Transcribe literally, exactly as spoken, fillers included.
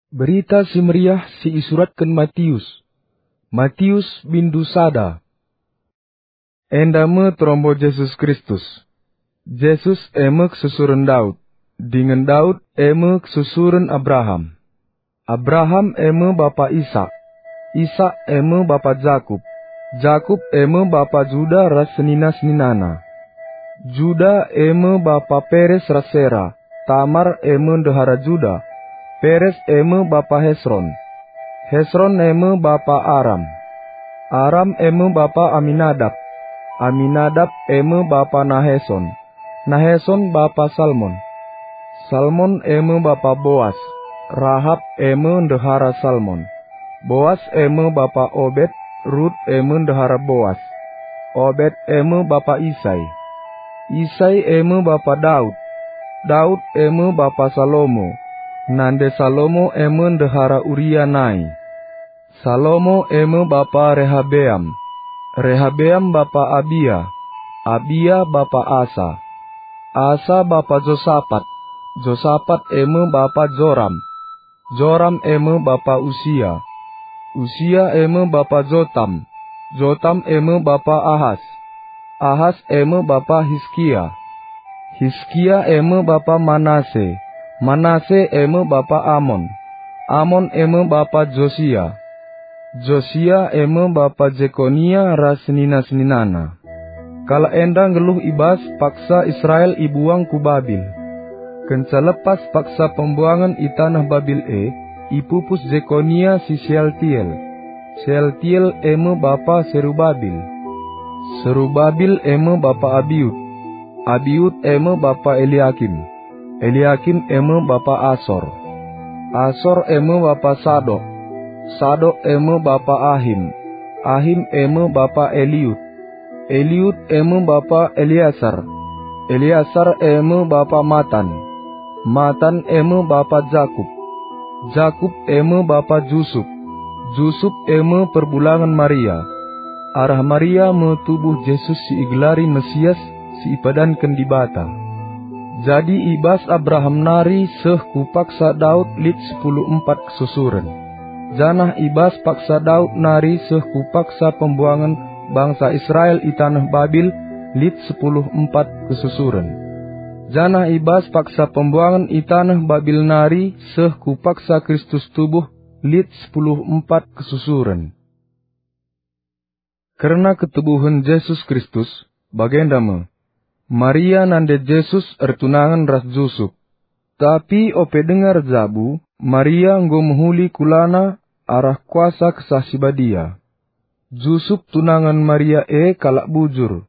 Berita Si Meriah si isuratken Matius. Matius bindu sada. Enda me terombo Jesus Kristus. Jesus e me kesusuren Daud, dingen Daud e me kesusuren Abraham. Abraham e me bapa Isak. Isak e me bapa Jakup. Jakup e me bapa Juda ras senina-seninana. Juda e me bapa Peres ras Sera. Tamar e me ndehara Juda. Peres e me bapa Hesron. Hesron e me bapa Aram. Aram e me bapa Aminadab. Aminadab e me bapa Naheson. Naheson bapa Salmon. Salmon e me bapa Boas. Rahap e me ndehara Salmon. Boas e me bapa Obed. Rut e me ndehara Boas. Obed e me bapa Isai. Isai e me bapa Daud. Daud e me bapa Salomo. Nande Salomo e me ndehara Uria nai. Salomo e me bapa Rehabeam. Rehabeam bapa Abia. Abia bapa Asa. Asa bapa Josapat. Josapat e me bapa Joram. Joram e me bapa Usia. Usia e me bapa Jotam. Jotam e me bapa Ahas. Ahas e me bapa Hiskia. Hiskia e me bapa Manase. Manase e me bapa Amon. Amon e me bapa Josia. Josia e me bapa Jekonia ras senina-seninana. Kalak enda nggeluh i bas paksa Israel ibuang ku Babil. Kenca lepas paksa pembuangen i taneh Babil e, ipupus Jekonia si Sealtiel. Sealtiel e me bapa Serubabil. Serubabil e me bapa Abiud. Abiud e me bapa Eliakim. Eliakim e me bapa Asor. Asor e me bapa Sadok. Sadok e me bapa Ahim. Ahim e me bapa Eliud. Eliud e me bapa Eleasar. Eleasar e me bapa Matan. Matan e me bapa Jakup. Jakup e me bapa Jusup. Jusup e me perbulangen Maria. Arah Maria me tubuh Jesus si igelari Mesias si ipadanken Dibata. Jadi i bas Abraham nari seh ku paksa Daud lit sepuluh empat kesusuren. Janah i bas paksa Daud nari seh ku paksa pembuangen bangsa Israel i taneh Babil lit sepuluh empat kesusuren. Janah i bas paksa pembuangen i taneh Babil nari seh ku paksa Kristus tubuh lit sepuluh empat kesusuren. Kerna ketubuhen Jesus Kristus, bagenda me. Maria nande Jesus ertunangen ras Jusup. Tapi ope denga erjabu, Maria enggo mehuli kulana arah kuasa Kesah Si Badia. Jusup tunangen Maria e kalak bujur,